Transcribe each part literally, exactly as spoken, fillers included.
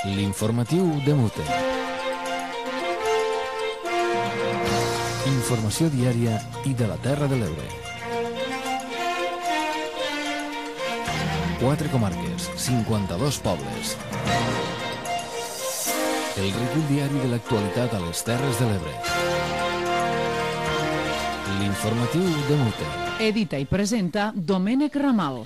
L'informatiu de Mute. Informació diària i de la Terra de l'Ebre. Quatre comarques, cinquanta-dos pobles. El recull diari de l'actualitat a les Terres de l'Ebre. L'informatiu de Mute. Edita i presenta Domènec Ramal.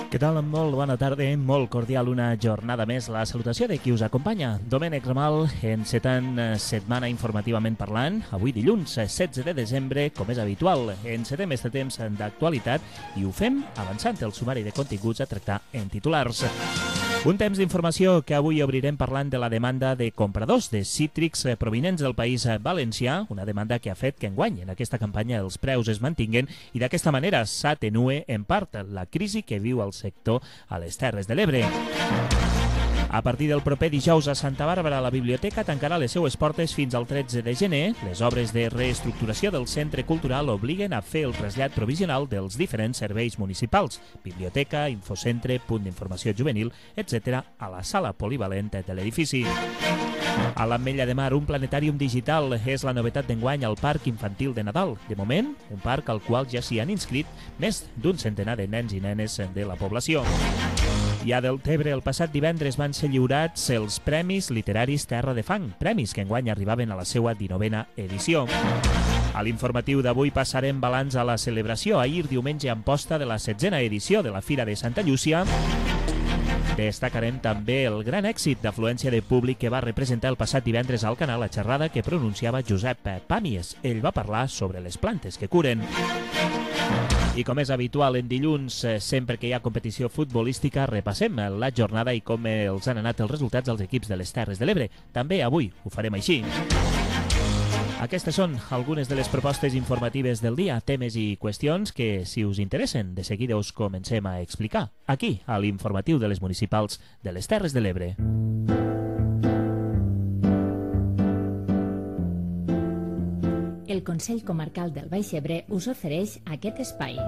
Què tal? Molt bona tarda, molt cordial una jornada més. La salutació de qui us acompanya, Domènec Ramal, encetant setmana informativament parlant. Avui dilluns, setze de desembre, com és habitual, encetem este temps d'actualitat i ho fem avançant el sumari de continguts a tractar en titulars. Un temps d'informació que avui obrirem parlant de la demanda de compradors de cítrics provinents del País Valencià, una demanda que ha fet que enguany en aquesta campanya els preus es mantinguen i d'aquesta manera s'atenue en part la crisi que viu el sector a les Terres de l'Ebre. A partir del proper dijous a Santa Bàrbara, la biblioteca tancarà les seues portes fins al tretze de gener. Les obres de reestructuració del centre cultural obliguen a fer el trasllat provisional dels diferents serveis municipals, biblioteca, infocentre, punt d'informació juvenil, etcètera, a la sala polivalent de l'edifici. A l'Ametlla de Mar, un planetàrium digital és la novetat d'enguany al Parc Infantil de Nadal. De moment, un parc al qual ja s'hi han inscrit més d'un centenar de nens i nenes de la població. I a Deltebre, el passat divendres van ser lliurats els Premis Literaris Terra de Fang, premis que enguany arribaven a la seva dinovena edició. A l'informatiu d'avui passarem balanç a la celebració ahir diumenge en posta de la setzena edició de la Fira de Santa Llúcia. Destacarem també el gran èxit d'afluència de públic que va representar el passat divendres al canal la xerrada que pronunciava Josep Pàmies. Ell va parlar sobre les plantes que curen. I com és habitual en dilluns, sempre que hi ha competició futbolística, repassem la jornada i com els han anat els resultats dels equips de les Terres de l'Ebre. També avui ho farem així. Aquestes són algunes de les propostes informatives del dia, temes i qüestions que, si us interessen, de seguida us comencem a explicar, aquí, a l'informatiu de les municipals de les Terres de l'Ebre. El Consell Comarcal del Baix Ebre us ofereix aquest espai.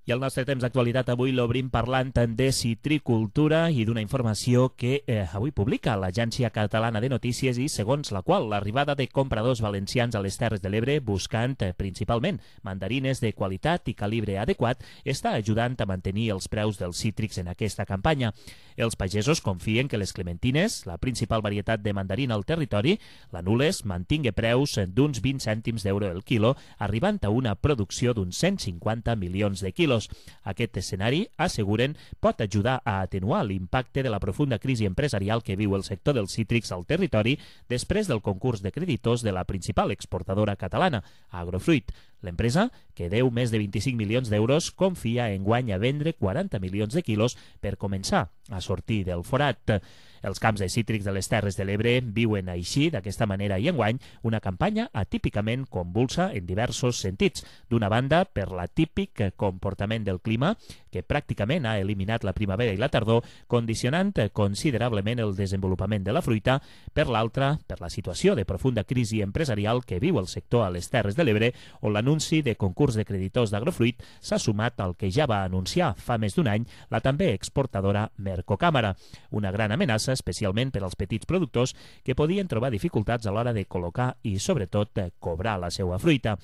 I el nostre temps d'actualitat avui l'obrim parlant de citricultura i d'una informació que eh, avui publica l'Agència Catalana de Notícies i segons la qual l'arribada de compradors valencians a les Terres de l'Ebre buscant eh, principalment mandarines de qualitat i calibre adequat està ajudant a mantenir els preus dels cítrics en aquesta campanya. Els pagesos confien que les clementines, la principal varietat de mandarina al territori, l'anules mantingui preus d'uns vint cèntims d'euro el quilo, arribant a una producció d'uns cent cinquanta milions de quilos. Aquest escenari, asseguren, pot ajudar a atenuar l'impacte de la profunda crisi empresarial que viu el sector dels cítrics al territori després del concurs de creditors de la principal exportadora catalana, Agrofruit. L'empresa, que deu més de vint-i-cinc milions d'euros, confia enguany a vendre quaranta milions de quilos per començar a sortir del forat. Els camps de cítrics de les Terres de l'Ebre viuen així, d'aquesta manera i enguany, una campanya atípicament convulsa en diversos sentits. D'una banda, per l'atípic comportament del clima, que pràcticament ha eliminat la primavera i la tardor, condicionant considerablement el desenvolupament de la fruita. Per l'altra, per la situació de profunda crisi empresarial que viu el sector a les Terres de l'Ebre, on l'anunci de concurs de creditors d'Agrofruit s'ha sumat al que ja va anunciar fa més d'un any la també exportadora Mercocàmera. Una gran amenaça especialment per als petits productors que podien trobar dificultats a l'hora de col·locar i, sobretot, cobrar la seva fruita.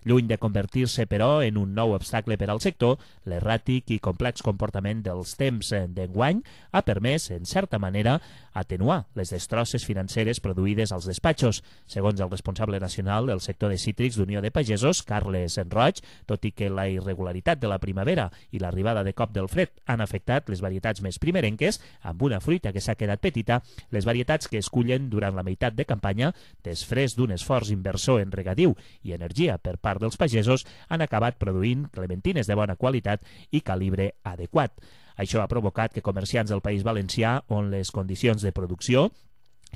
Lluny de convertir-se, però, en un nou obstacle per al sector, l'erràtic i complex comportament dels temps d'enguany ha permès, en certa manera, atenuar les destrosses financeres produïdes als despatxos. Segons el responsable nacional del sector de cítrics d'Unió de Pagesos, Carles Roig, tot i que la irregularitat de la primavera i l'arribada de cop del fred han afectat les varietats més primerenques, amb una fruita que s'ha quedat petita, les varietats que es cullen durant la meitat de campanya, després d'un esforç inversor en regadiu i energia per part part dels pagesos, han acabat produint clementines de bona qualitat i calibre adequat. Això ha provocat que comerciants del País Valencià, on les condicions de producció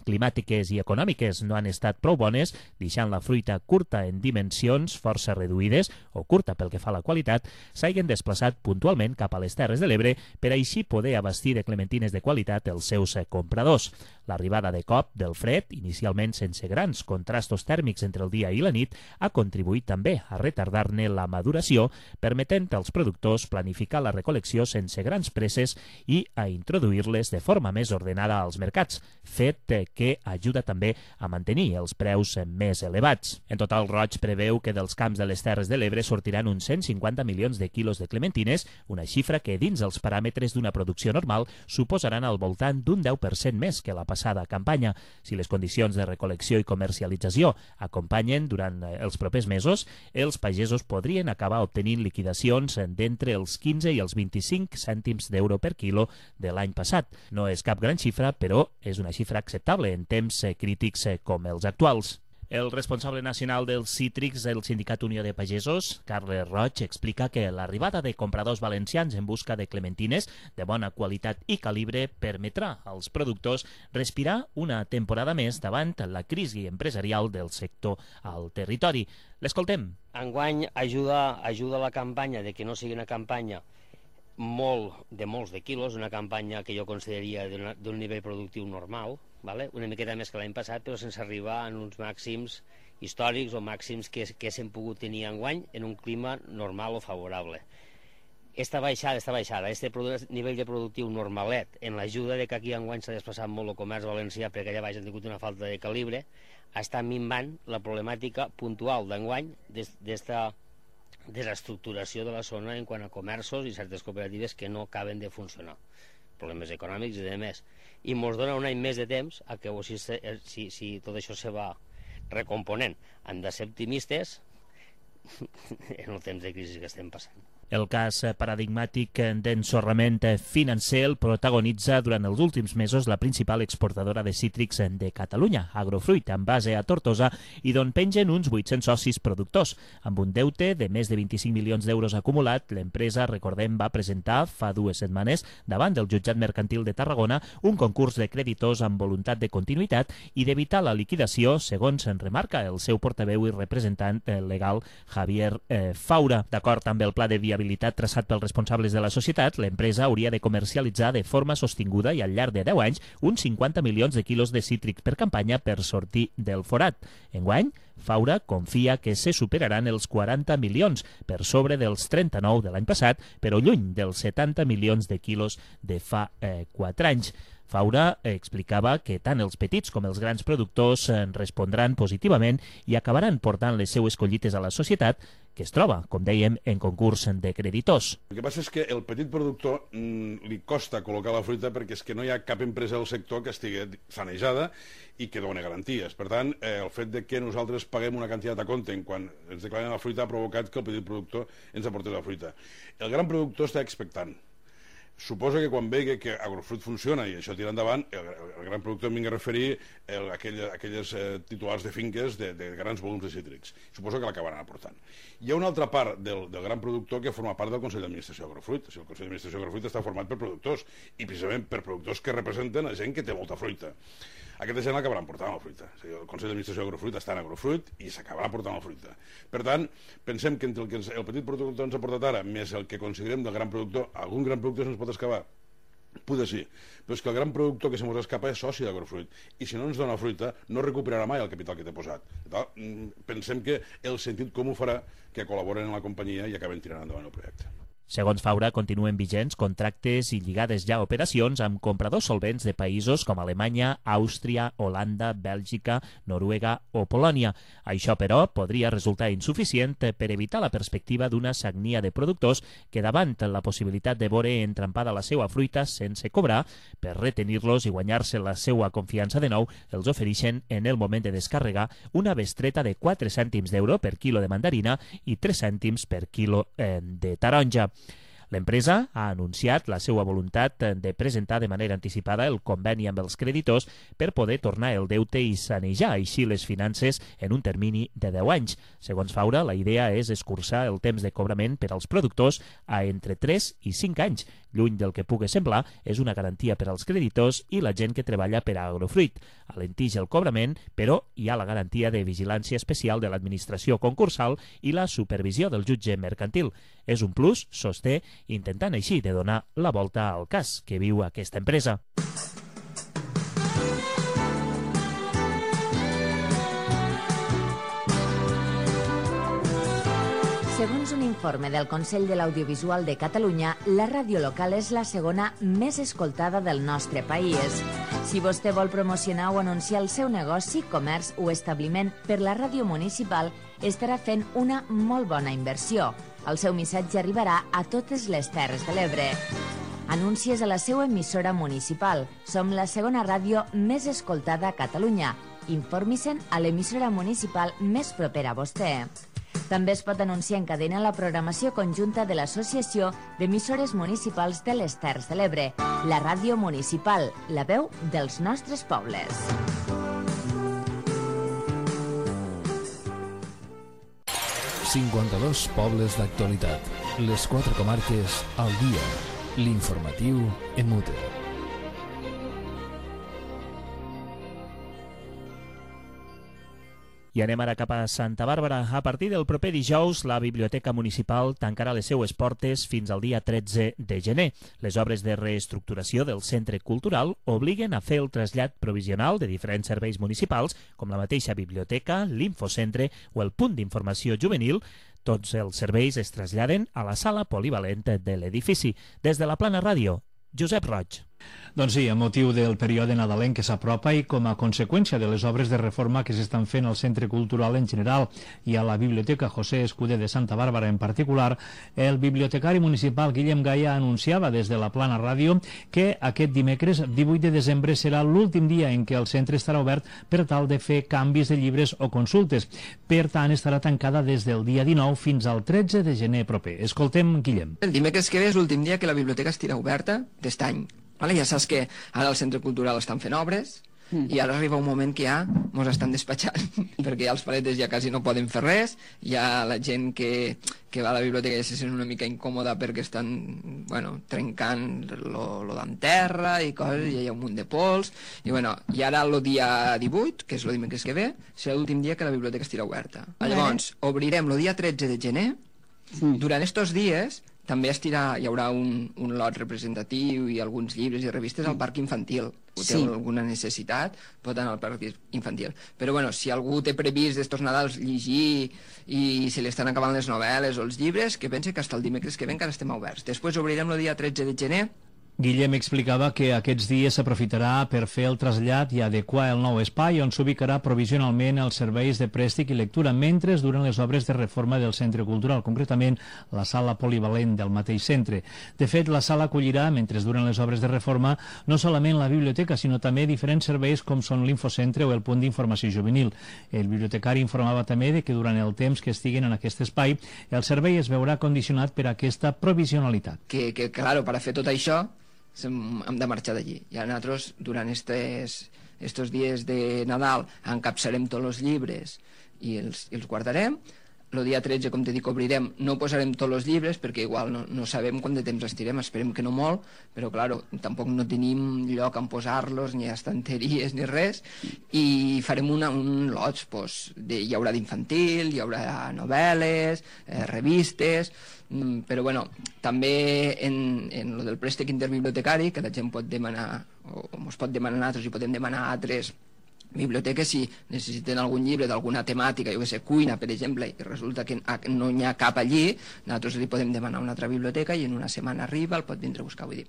climàtiques i econòmiques no han estat prou bones, deixant la fruita curta en dimensions força reduïdes o curta pel que fa a la qualitat, s'hagin desplaçat puntualment cap a les Terres de l'Ebre per així poder abastir de clementines de qualitat els seus compradors. L'arribada de cop del fred, inicialment sense grans contrastos tèrmics entre el dia i la nit, ha contribuït també a retardar-ne la maduració, permetent als productors planificar la recol·lecció sense grans presses i a introduir-les de forma més ordenada als mercats, fet que ajuda també a mantenir els preus més elevats. En total, Roig preveu que dels camps de les Terres de l'Ebre sortiran uns cent cinquanta milions de quilos de clementines, una xifra que dins els paràmetres d'una producció normal suposaran al voltant d'un deu per cent més que la passada campanya. Si les condicions de recol·lecció i comercialització acompanyen durant els propers mesos, els pagesos podrien acabar obtenint liquidacions d'entre els quinze i els vint-i-cinc cèntims d'euro per quilo de l'any passat. No és cap gran xifra, però és una xifra acceptable en temps crítics com els actuals. El responsable nacional dels cítrics del Sindicat Unió de Pagesos, Carles Roig, explica que l'arribada de compradors valencians en busca de clementines de bona qualitat i calibre permetrà als productors respirar una temporada més davant la crisi empresarial del sector al territori. L'escoltem. Enguany ajuda, ajuda la campanya de que no sigui una campanya molt de molts de quilos, una campanya que jo consideraria d'un nivell productiu normal, vale? Una miqueta més que l'any passat, però sense arribar en uns màxims històrics o màxims que, que s'hem pogut tenir enguany en un clima normal o favorable. Esta baixada, esta baixada, este nivell de productiu normalet, en l'ajuda de que aquí enguany s'ha desplaçat molt el comerç valencià perquè allà baix han tingut una falta de calibre, està minvant la problemàtica puntual d'enguany d'esta desestructuració de la zona en quant a comerços i certes cooperatives que no acaben de funcionar, problemes econòmics i de més, i ens dona un any més de temps a que si, si, si tot això se va recomponent. Hem de ser optimistes en el temps de crisi que estem passant. El cas paradigmàtic d'ensorrament financer el protagonitza durant els últims mesos la principal exportadora de cítrics de Catalunya, Agrofruit, amb base a Tortosa, i d'on pengen uns vuit-cents socis productors. Amb un deute de més de vint-i-cinc milions d'euros acumulat, l'empresa, recordem, va presentar fa dues setmanes davant del jutjat mercantil de Tarragona un concurs de creditors amb voluntat de continuïtat i d'evitar la liquidació, segons en remarca el seu portaveu i representant legal Javier eh, Faura. D'acord amb el pla de viabilitat traçat pels responsables de la societat, l'empresa hauria de comercialitzar de forma sostinguda i al llarg de deu anys uns cinquanta milions de quilos de cítrics per campanya per sortir del forat. Enguany, Faura confia que se superaran els quaranta milions, per sobre dels trenta-nou de l'any passat, però lluny dels setanta milions de quilos de fa eh, quatre anys. Faura explicava que tant els petits com els grans productors respondran positivament i acabaran portant les seues collites a la societat, que es troba, com dèiem, en concurs de creditors. El que passa és que el petit productor mmm, li costa col·locar la fruita perquè és que no hi ha cap empresa del sector que estigui sanejada i que doni garanties. Per tant, eh, el fet de que nosaltres paguem una quantitat a compte quan ens declaren la fruita ha provocat que el petit productor ens aporti la fruita. El gran productor està expectant. Suposo que quan vegi que Agrofruit funciona i això tira endavant, el, el gran productor em vingui a referir el, aquell, aquelles eh, titulars de finques de, de grans volums de cítrics. Suposo que l'acabaran aportant. Hi ha una altra part del, del gran productor que forma part del Consell d'Administració Agrofruit. O sigui, el Consell d'Administració Agrofruit està format per productors i precisament per productors que representen a gent que té molta fruita. Aquesta gent l'acabaran portant la fruita. O sigui, el Consell d'Administració Agrofruit està en Agrofruit i s'acabarà portant la fruita. Per tant, pensem que entre el que ens, el petit productor ens ha portat ara, més el que considerem del gran productor, algun gran productor se'ns pot escapar? Poder sí, però és que el gran productor que se mos escapa és soci d'Agrofruit i si no ens dona fruita no recuperarà mai el capital que t'he posat. Tal, pensem que el sentit comú farà que col·laboren en la companyia i acaben tirant endavant el projecte. Segons Faura, continuen vigents contractes i lligades ja operacions amb compradors solvents de països com Alemanya, Àustria, Holanda, Bèlgica, Noruega o Polònia. Això, però, podria resultar insuficient per evitar la perspectiva d'una sagnia de productors que, davant la possibilitat de veure entrampada la seva fruita sense cobrar, per retenir-los i guanyar-se la seva confiança de nou, els ofereixen en el moment de descarregar una bestreta de quatre cèntims d'euro per quilo de mandarina i tres cèntims per quilo eh, de taronja. L'empresa ha anunciat la seva voluntat de presentar de manera anticipada el conveni amb els creditors per poder tornar el deute i sanejar així les finances en un termini de deu anys. Segons Faura, la idea és escurçar el temps de cobrament per als productors a entre tres i cinc anys, Lluny del que pugui semblar, és una garantia per als creditors i la gent que treballa per a Agrofruit. Alentix el cobrament, però hi ha la garantia de vigilància especial de l'administració concursal i la supervisió del jutge mercantil. És un plus, sosté, intentant així de donar la volta al cas que viu aquesta empresa. Segons un informe del Consell de l'Audiovisual de Catalunya, la ràdio local és la segona més escoltada del nostre país. Si vostè vol promocionar o anunciar el seu negoci, comerç o establiment per la ràdio municipal, estarà fent una molt bona inversió. El seu missatge arribarà a totes les Terres de l'Ebre. Anuncies a la seva emissora municipal. Som la segona ràdio més escoltada a Catalunya. Informi-se'n a l'emissora municipal més propera a vostè. També es pot anunciar en cadena la programació conjunta de l'Associació d'Emissores Municipals de les Terres de l'Ebre, la ràdio municipal, la veu dels nostres pobles. cinquanta-dos pobles d'actualitat. Les quatre comarques al dia. L'informatiu Emute. I anem ara cap a Santa Bàrbara. A partir del proper dijous, la Biblioteca Municipal tancarà les seues portes fins al dia tretze de gener. Les obres de reestructuració del centre cultural obliguen a fer el trasllat provisional de diferents serveis municipals, com la mateixa biblioteca, l'infocentre o el punt d'informació juvenil. Tots els serveis es traslladen a la sala polivalent de l'edifici. Des de la Plana Ràdio, Josep Roig. Doncs sí, a motiu del període nadalenc que s'apropa i com a conseqüència de les obres de reforma que s'estan fent al Centre Cultural en general i a la Biblioteca José Escudé de Santa Bàrbara en particular, el bibliotecari municipal Guillem Gaia anunciava des de la Plana Ràdio que aquest dimecres divuit de desembre serà l'últim dia en què el centre estarà obert per tal de fer canvis de llibres o consultes. Per tant, estarà tancada des del dia dinou fins al tretze de gener proper. Escoltem Guillem. El dimecres que ve és l'últim dia que la biblioteca estirà oberta d'est any. Vale, ja saps que ara al centre cultural estan fent obres mm. i ara arriba un moment que ja mos estan despatxant perquè ja els paletes ja quasi no poden fer res, ja la gent que, que va a la biblioteca ja se sent una mica incòmoda perquè estan bueno, trencant lo, lo d'enterra i coses, i hi ha un munt de pols i, bueno, i ara el dia divuit, que és el dimecres que ve, serà l'últim dia que la biblioteca estirà oberta. Llavors, obrirem el dia tretze de gener. Mm. Durant estos dies també estirà, hi haurà un, un lot representatiu i alguns llibres i revistes al parc infantil. Si té sí. alguna necessitat, pot anar al parc infantil. Però bueno, si algú té previst d'estos Nadals llegir i se li estan acabant les novel·les o els llibres, que pense que fins el dimecres que ve encara estem oberts. Després obrirem el dia tretze de gener. Guillem explicava que aquests dies s'aprofitarà per fer el trasllat i adequar el nou espai on s'ubicarà provisionalment els serveis de préstec i lectura mentre duren les obres de reforma del centre cultural, concretament la sala polivalent del mateix centre. De fet, la sala acollirà, mentre duren les obres de reforma, no solament la biblioteca, sinó també diferents serveis com són l'infocentre o el punt d'informació juvenil. El bibliotecari informava també de que durant el temps que estiguen en aquest espai, el servei es veurà condicionat per aquesta provisionalitat. Que, que claro, per a fer tot això hem de marxar d'allí. Ja nosaltres, durant estes, estos dies de Nadal, encapçarem tots els llibres i els, i els guardarem. El dia tretze, com te dic, obrirem, no posarem tots els llibres perquè igual no, no sabem quant de temps estirem, esperem que no molt, però claro, tampoc no tenim lloc on posar-los, ni estanteries ni res, i farem una, un lots, pues, de, hi haurà d'infantil, hi haurà novel·les, eh, revistes, però bueno, també en, en lo del préstec interbibliotecari, que la gent pot demanar, o ens pot demanar a nosaltres i podem demanar a altres biblioteques si necessiten algun llibre d'alguna temàtica, jo que sé, cuina, per exemple, i resulta que no n'hi ha cap allí, nosaltres li podem demanar a una altra biblioteca i en una setmana arriba, el pot vindre a buscar, vull dir.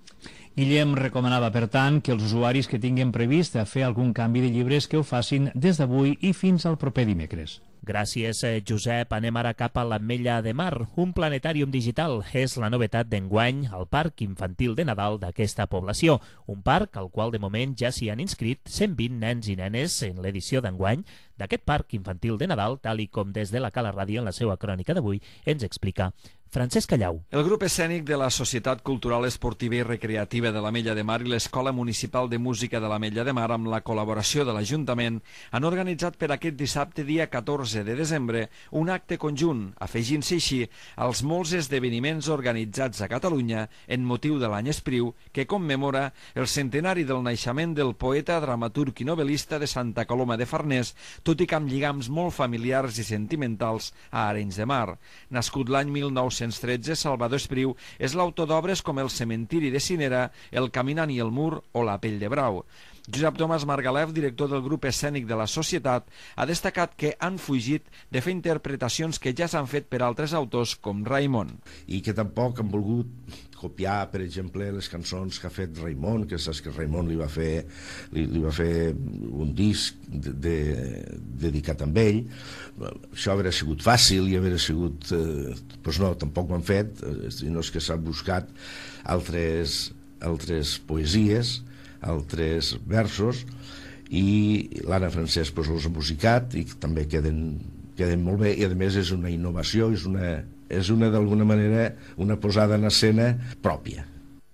Guillem recomanava, per tant, que els usuaris que tinguin previst a fer algun canvi de llibres que ho facin des d'avui i fins al proper dimecres. Gràcies, Josep. Anem ara cap a l'Ametlla de Mar. Un planetàrium digital és la novetat d'enguany al Parc Infantil de Nadal d'aquesta població. Un parc al qual de moment ja s'hi han inscrit cent vint nens i nenes en l'edició d'enguany, d'aquest parc infantil de Nadal, tal i com des de la Cala Ràdio en la seva crònica d'avui ens explica Francesc Callau. El grup escènic de la Societat Cultural Esportiva i Recreativa de l'Ametlla de Mar i l'Escola Municipal de Música de l'Ametlla de Mar, amb la col·laboració de l'Ajuntament, han organitzat per aquest dissabte, dia catorze de desembre, un acte conjunt, afegint-se així als molts esdeveniments organitzats a Catalunya en motiu de l'any Espriu, que commemora el centenari del naixement del poeta, dramaturg i novel·lista de Santa Coloma de Farners, tot i que amb lligams molt familiars i sentimentals a Arenys de Mar. Nascut l'any mil nou-cents tretze, Salvador Espriu és l'autor d'obres com El cementiri de Cinera, El caminant i el mur o La pell de brau. Josep Tomàs Margalef, director del grup escènic de la Societat, ha destacat que han fugit de fer interpretacions que ja s'han fet per altres autors com Raimon. I que tampoc han volgut copiar, per exemple, les cançons que ha fet Raimon, que saps que Raimon li va fer, li, li va fer un disc de, de, dedicat a ell. Això hauria sigut fàcil i hauria sigut... Eh, doncs no, tampoc ho han fet, eh, sinó que s'han buscat altres, altres poesies, altres versos, i l'Anna Francesc pues, els ha musicat i també queden, queden molt bé, i a més és una innovació, és una, és una d'alguna manera una posada en escena pròpia.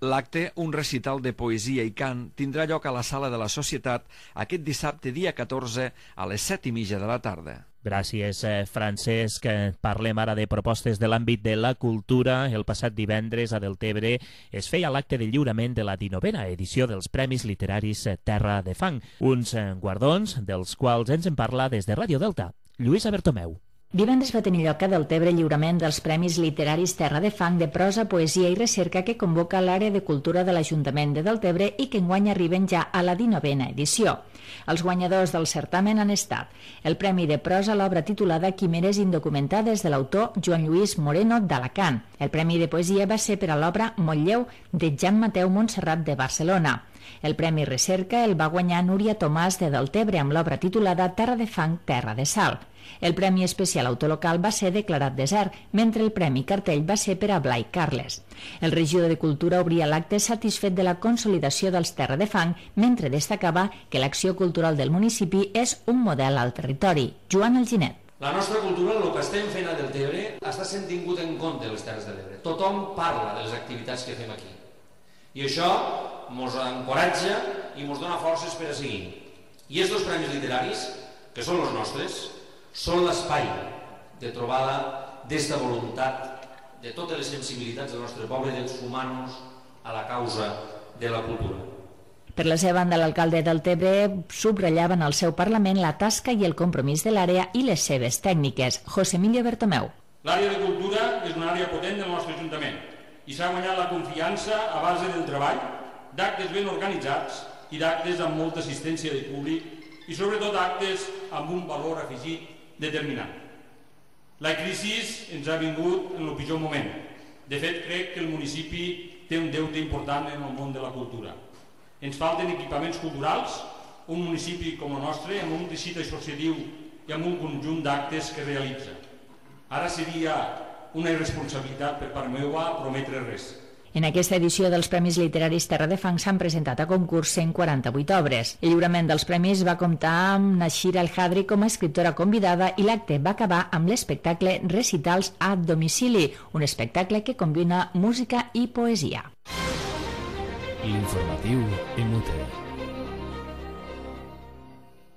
L'acte, un recital de poesia i cant, tindrà lloc a la Sala de la Societat aquest dissabte, dia catorze, a les set i mitja de la tarda. Gràcies, Francesc. Parlem ara de propostes de l'àmbit de la cultura. El passat divendres a Deltebre es feia l'acte de lliurament de la dinovena edició dels Premis Literaris Terra de Fang, uns guardons dels quals ens en parla des de Ràdio Delta, Lluïsa Bertomeu. Divendres va tenir lloc a Deltebre el lliurament dels Premis Literaris Terra de Fang de prosa, poesia i recerca que convoca l'àrea de cultura de l'Ajuntament de Deltebre i que enguany arriben ja a la dinovena edició. Els guanyadors del certamen han estat el Premi de Prosa a l'obra titulada Quimeres indocumentades de l'autor Joan Lluís Moreno d'Alacant. El Premi de Poesia va ser per a l'obra Motllleu de Jan Mateu Montserrat de Barcelona. El Premi Recerca el va guanyar Núria Tomàs de Deltebre amb l'obra titulada Terra de Fang, Terra de Sal. El Premi Especial Autolocal va ser declarat desert, mentre el Premi Cartell va ser per a Blai Carles. El regidor de Cultura obria l'acte satisfet de la consolidació dels Terra de Fang, mentre destacava que l'acció cultural del municipi és un model al territori. Joan Alginet. La nostra cultura, el que estem fent a Deltebre, està sent tingut en compte a les Terres de l'Ebre. Tothom parla de les activitats que fem aquí. I això ens encoratja i ens dona forces per a seguir. I aquests premis literaris, que són els nostres, són l'espai de trobada d'esta voluntat de totes les sensibilitats del nostre poble de sumar-nos a la causa de la cultura. Per la seva banda, l'alcalde del Deltebre subratllava en el seu Parlament la tasca i el compromís de l'àrea i les seves tècniques. José Emilio Bertomeu. L'àrea de cultura és una àrea potent del nostre Ajuntament i s'ha guanyat la confiança a base del treball, d'actes ben organitzats i d'actes amb molta assistència de públic i sobretot actes amb un valor afegit determinant. La crisi ens ha vingut en el pitjor moment. De fet, crec que el municipi té un deute important en el món de la cultura. Ens falten equipaments culturals, un municipi com el nostre, amb un teixit associatiu i amb un conjunt d'actes que realitza. Ara seria una irresponsabilitat per part meva prometre res. En aquesta edició dels Premis Literaris Terra de Fang s'han presentat a concurs cent quaranta-vuit obres. El lliurament dels premis va comptar amb Nashira El-Hadri com a escriptora convidada i l'acte va acabar amb l'espectacle Recitals a domicili, un espectacle que combina música i poesia. L'informatiu Emute.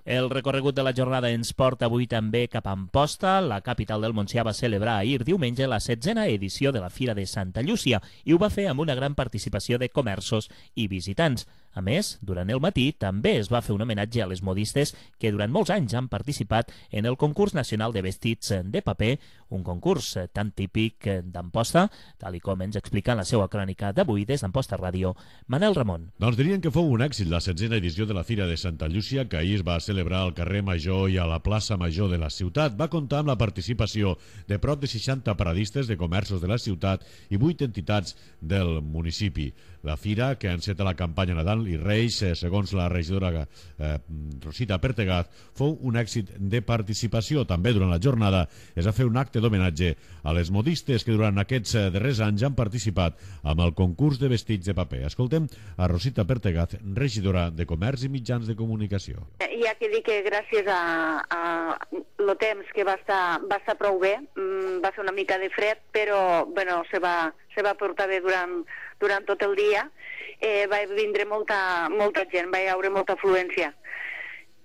El recorregut de la jornada ens porta avui també cap a Amposta. La capital del Montsià va celebrar ahir diumenge la setzena edició de la Fira de Santa Llúcia i ho va fer amb una gran participació de comerços i visitants. A més, durant el matí també es va fer un homenatge a les modistes que durant molts anys han participat en el concurs nacional de vestits de paper, un concurs tan típic d'Amposta, tal i com ens explica en la seva crònica d'avui des d'Amposta Ràdio, Manel Ramon. Doncs dirien que fou un èxit la setzena edició de la Fira de Santa Llúcia, que ahir es va celebrar al carrer Major i a la plaça Major de la ciutat. Va comptar amb la participació de prop de seixanta paradistes de comerços de la ciutat i vuit entitats del municipi. La fira, que enceta la campanya Nadal Manel i Reis, eh, segons la regidora eh, Rosita Pertegaz, fou un èxit de participació. També durant la jornada es va fer un acte d'homenatge a les modistes que durant aquests eh, darrers anys han participat amb el concurs de vestits de paper. Escoltem a Rosita Pertegaz, regidora de Comerç i Mitjans de Comunicació. Hi ha que dir que gràcies a, a el temps que va estar, va estar prou bé, va fer una mica de fred, però bueno, se va, se va portar bé durant, durant tot el dia. Eh, va vindre molta, molta gent, va haver molta afluència.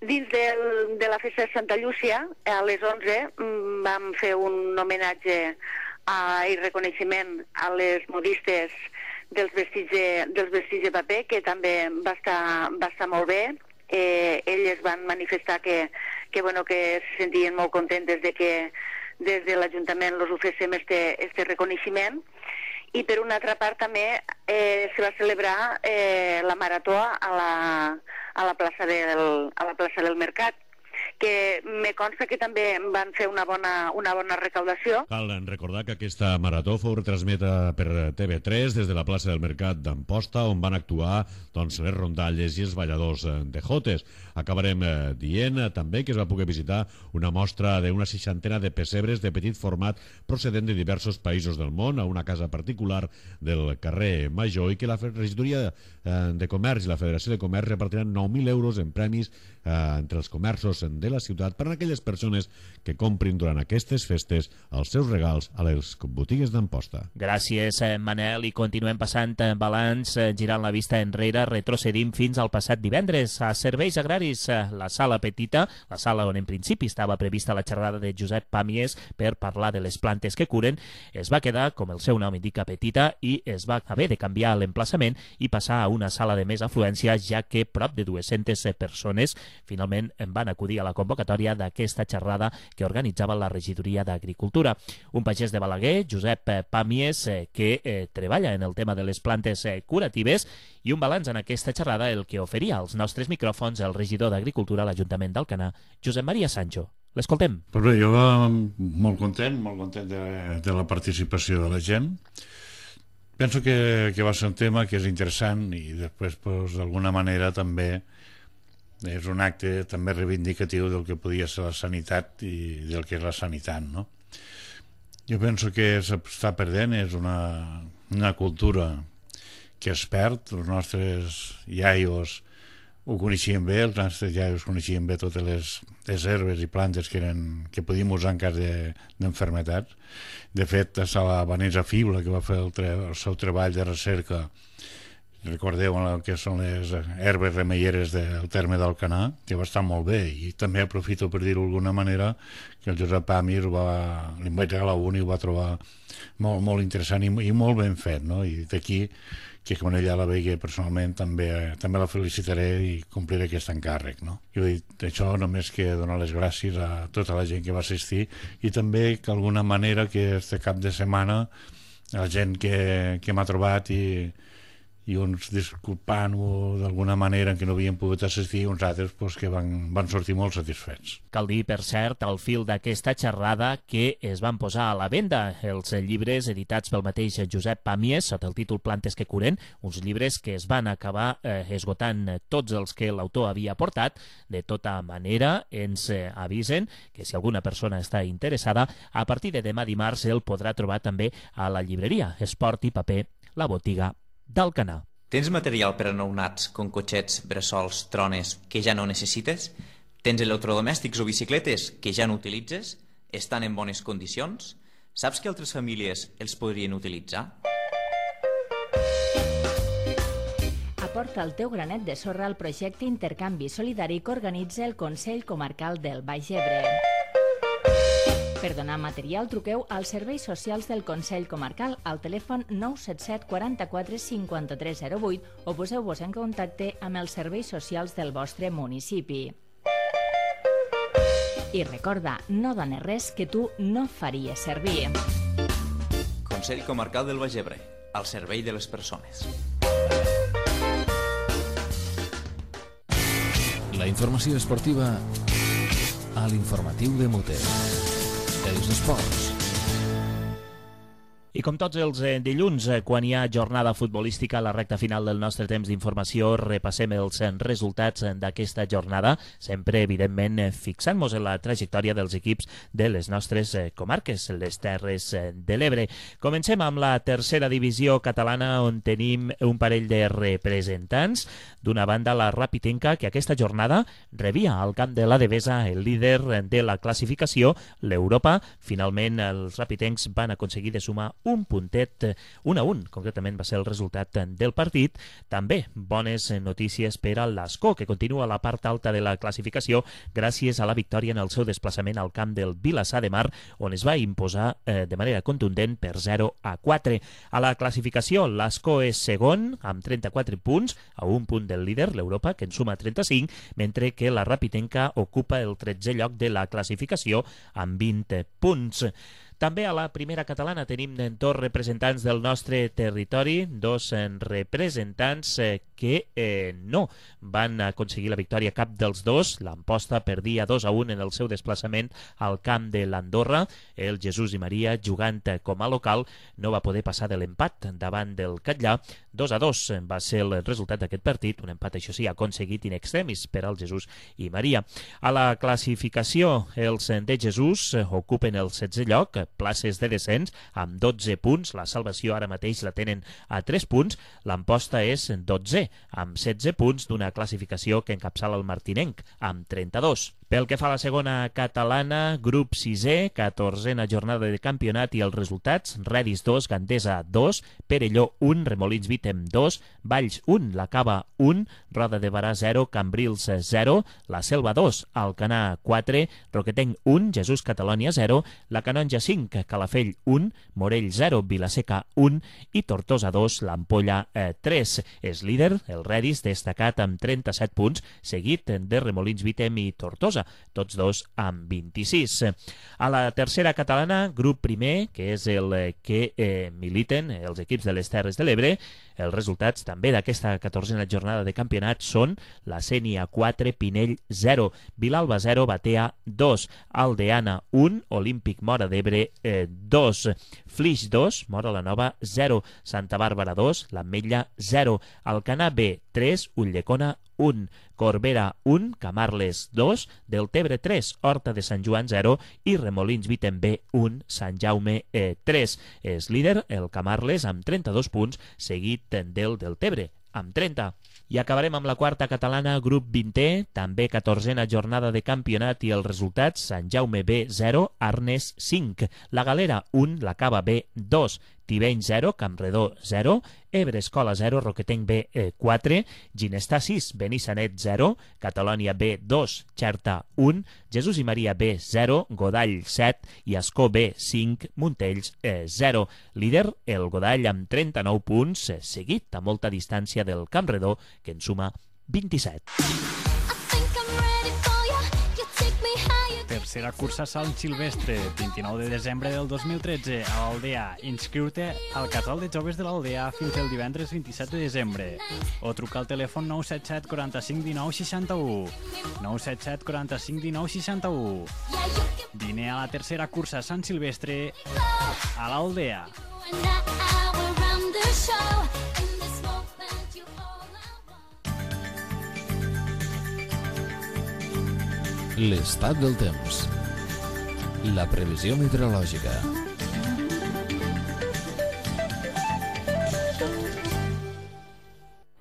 Dins del, de la festa de Santa Llúcia, a les onze, vam fer un homenatge a, i reconeixement a les modistes dels vestits de, dels vestits de paper, que també va estar, va estar molt bé. Eh, elles van manifestar que, que, bueno, que se sentien molt contentes de que des de l'Ajuntament els ofrecem este, este reconeixement. I per una altra part també eh, se va celebrar eh, la marató a la, a la plaça del, a la plaça del Mercat, que me consta que també van fer una bona, una bona recaudació. Cal recordar que aquesta marató fou retransmeta per T V tres des de la plaça del Mercat d'Amposta, on van actuar doncs, les rondalles i els balladors de jotes. Acabarem eh, dient eh, també que es va poder visitar una mostra d'una seixantena de pessebres de petit format procedent de diversos països del món a una casa particular del carrer Major, i que la regidoria eh, de Comerç i la Federació de Comerç repartiran nou mil euros en premis eh, entre els comerços de la ciutat per a aquelles persones que comprin durant aquestes festes els seus regals a les botigues d'Amposta. Gràcies, Manel, i continuem passant balanç, girant la vista enrere, retrocedim fins al passat divendres a Serveis Agraris. La sala petita, la sala on en principi estava prevista la xerrada de Josep Pàmies per parlar de les plantes que curen, es va quedar, com el seu nom indica, petita, i es va haver de canviar l'emplaçament i passar a una sala de més afluència, ja que prop de dues-centes persones finalment van acudir a la convocatòria d'aquesta xerrada que organitzava la regidoria d'Agricultura. Un pagès de Balaguer, Josep Pàmies, que eh, treballa en el tema de les plantes eh, curatives, i un balanç en aquesta xerrada el que oferia als nostres micròfons el regidor d'Agricultura a l'Ajuntament d'Alcanar, Josep Maria Sancho. L'escoltem. Pues bé, jo va molt content, molt content de, de la participació de la gent. Penso que, que va ser un tema que és interessant i després, pues, d'alguna manera, també és un acte també reivindicatiu del que podia ser la sanitat i del que és la sanitat, no? Jo penso que s'està perdent, és una, una cultura que es perd. Els nostres iaios ho coneixien bé, els nostres iaios coneixien bé totes les, les herbes i plantes que, eren, que podíem usar en cas d'enfermetats. De, de fet, a la Vanessa Fibla, que va fer el, tre, el seu treball de recerca, recordeu el que són les herbes remeieres del terme d'Alcanar, que va estar molt bé, i també aprofito per dir-ho d'alguna manera que el Josep Pàmies va, li vaig regalar un i ho va trobar molt, molt interessant i, i molt ben fet, no? I d'aquí que quan ella la vegi personalment també, també la felicitaré i compliré aquest encàrrec, no? Jo he dit això, només que donar les gràcies a tota la gent que va assistir i també que d'alguna manera que este cap de setmana la gent que, que m'ha trobat i i uns disculpant-ho d'alguna manera que no havien pogut assistir, uns altres pues, que van, van sortir molt satisfets. Cal dir, per cert, al fil d'aquesta xerrada que es van posar a la venda els llibres editats pel mateix Josep Pàmies sota el títol Plantes que curen, uns llibres que es van acabar eh, esgotant tots els que l'autor havia portat. De tota manera, ens eh, avisen que si alguna persona està interessada, a partir de demà dimarts el podrà trobar també a la llibreria Esport i Paper, la botiga d'Alcanar. Tens material per a nounats, com cotxets, bressols, trones, que ja no necessites? Tens electrodomèstics o bicicletes que ja no utilitzes? Estan en bones condicions? Saps que altres famílies els podrien utilitzar? Aporta el teu granet de sorra al projecte Intercanvi Solidari que organitza el Consell Comarcal del Baix Ebre. Per donar material, truqueu als serveis socials del Consell Comarcal al telèfon nou set set quaranta-quatre cinquanta-tres zero vuit o poseu-vos en contacte amb els serveis socials del vostre municipi. I recorda, no dones res que tu no faries servir. Consell Comarcal del Baix Ebre, al servei de les persones. La informació esportiva a l'informatiu de Moter. Els esports. I com tots els eh, dilluns, eh, quan hi ha jornada futbolística a la recta final del nostre temps d'informació, repassem els eh, resultats eh, d'aquesta jornada, sempre, evidentment, eh, fixant-nos en la trajectòria dels equips de les nostres eh, comarques, les Terres eh, de l'Ebre. Comencem amb la tercera divisió catalana, on tenim un parell de representants. D'una banda, la Rapitenca, que aquesta jornada rebia al camp de la Devesa el líder de la classificació, l'Europa. Finalment, els rapitencs van aconseguir de sumar un puntet, un a un, concretament va ser el resultat del partit. També bones notícies per a l'Ascó, que continua a la part alta de la classificació gràcies a la victòria en el seu desplaçament al camp del Vilassar de Mar, on es va imposar eh, de manera contundent per zero a quatre. A la classificació, l'Ascó és segon, amb trenta-quatre punts, a un punt del líder, l'Europa, que en suma trenta-cinc, mentre que la Rapitenca ocupa el tretzè lloc de la classificació amb vint punts. També a la primera catalana tenim dos representants del nostre territori, dos representants que eh, no van aconseguir la victòria cap dels dos. L'Amposta perdia dos a un en el seu desplaçament al camp de l'Andorra. El Jesús i Maria, jugant com a local, no va poder passar de l'empat davant del Catllà. dos a dos va ser el resultat d'aquest partit, un empat, això sí, aconseguit in extremis per al Jesús i Maria. A la classificació, els de Jesús ocupen el setzè lloc, places de descens, amb dotze punts. La salvació ara mateix la tenen a tres punts. L'Amposta és dotzè, amb setze punts, d'una classificació que encapçala el martinenc, amb trenta-dos. Pel que fa a la segona catalana, grup sisè, catorzena jornada de campionat i els resultats: Redis dos, Gandesa dos, Perelló un, Remolins Vítem dos, Valls un, La Cava un, Roda de Barà zero, Cambrils zero, La Selva dos, Alcanar quatre, Roquetenc un, Jesús Catalònia zero, La Canonja cinc, Calafell un, Morell zero, Vilaseca un i Tortosa dos, l'Ampolla eh, tres. És líder el Redis, destacat amb trenta-set punts, seguit de Remolins Vítem i Tortosa, tots dos amb vint-i-sis. A la tercera catalana, grup primer, que és el que eh, militen els equips de les Terres de l'Ebre, els resultats també d'aquesta catorzena jornada de campionat són la Sénia quatre, Pinell zero, Vilalba zero, Batea dos, Aldeana un, Olímpic Móra d'Ebre eh, dos, Flix dos, Móra la Nova zero, Santa Bàrbara dos, l'Ametlla zero, Alcanar B tres, Ulldecona un, Corbera un, Camarles dos, Deltebre tres, Horta de Sant Joan zero i Remolins Vítem B un, Sant Jaume eh, tres. És líder el Camarles amb trenta-dos punts, seguit del Deltebre amb trenta. I acabarem amb la quarta catalana, grup vintè, també catorzena jornada de campionat i els resultats: Sant Jaume B zero, Arnes cinc, La Galera un, La Cava B dos, Tibeny zero, Campredó zero, Ebre Escola zero, Roquetenc B quatre, Ginestà sis, Benissanet zero, Catalònia B dos, Xerta un, Jesús i Maria B zero, Godall set i Ascó B cinc, Montells zero. Líder el Godall amb trenta-nou punts, seguit a molta distància del Campredó, que en suma vint-i-set. Tercera cursa Sant Silvestre, vint-i-nou de desembre del dos mil tretze, a l'Aldea. Inscriu-te al casal de joves de l'Aldea fins el divendres vint-i-set de desembre. O truca al telèfon nou set set, quaranta-cinc, dinou, seixanta-u. nou set set, quaranta-cinc, dinou, seixanta-u. Vine a la tercera cursa Sant Silvestre a l'Aldea. L'estat del temps. La previsió meteorològica.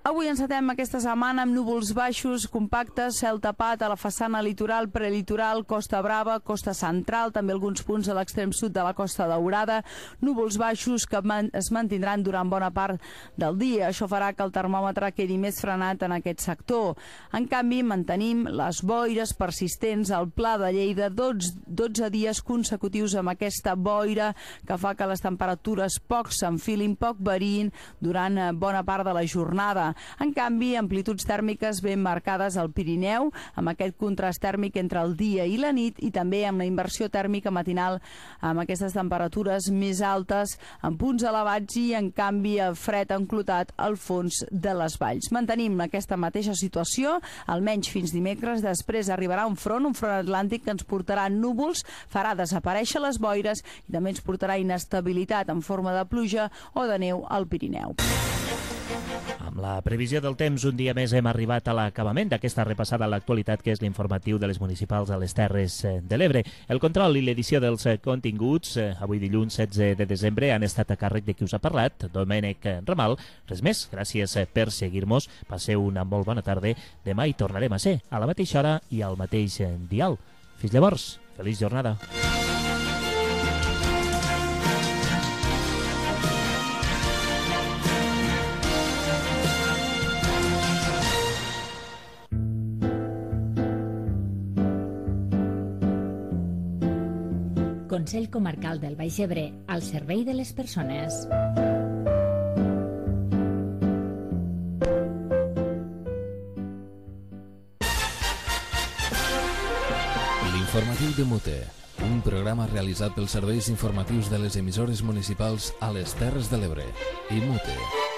Avui encetem aquesta setmana amb núvols baixos, compactes, cel tapat a la façana litoral, prelitoral, Costa Brava, Costa Central, també alguns punts a l'extrem sud de la Costa Daurada, núvols baixos que es mantindran durant bona part del dia. Això farà que el termòmetre quedi més frenat en aquest sector. En canvi, mantenim les boires persistents al Pla de Lleida, dotze dies consecutius amb aquesta boira que fa que les temperatures poc s'enfilin, poc variïn durant bona part de la jornada. En canvi, amplituds tèrmiques ben marcades al Pirineu, amb aquest contrast tèrmic entre el dia i la nit, i també amb la inversió tèrmica matinal, amb aquestes temperatures més altes en punts elevats i, en canvi, el fred enclotat al fons de les valls. Mantenim aquesta mateixa situació, almenys fins dimecres. Després arribarà un front, un front atlàntic que ens portarà núvols, farà desaparèixer les boires i també ens portarà inestabilitat en forma de pluja o de neu al Pirineu. Amb la previsió del temps, un dia més hem arribat a l'acabament d'aquesta repassada a l'actualitat, que és l'informatiu de les municipals a les Terres de l'Ebre. El control i l'edició dels continguts, avui dilluns setze de desembre, han estat a càrrec de qui us ha parlat, Domènec Ramal. Res més, gràcies per seguir-nos. Passeu una molt bona tarda. Demà hi tornarem a ser, a la mateixa hora i al mateix dial. Fins llavors, feliç jornada. Consell Comarcal del Baix Ebre, al servei de les persones. L'informatiu de Mute, un programa realitzat pels serveis informatius de les emissores municipals a les Terres de l'Ebre i Mute.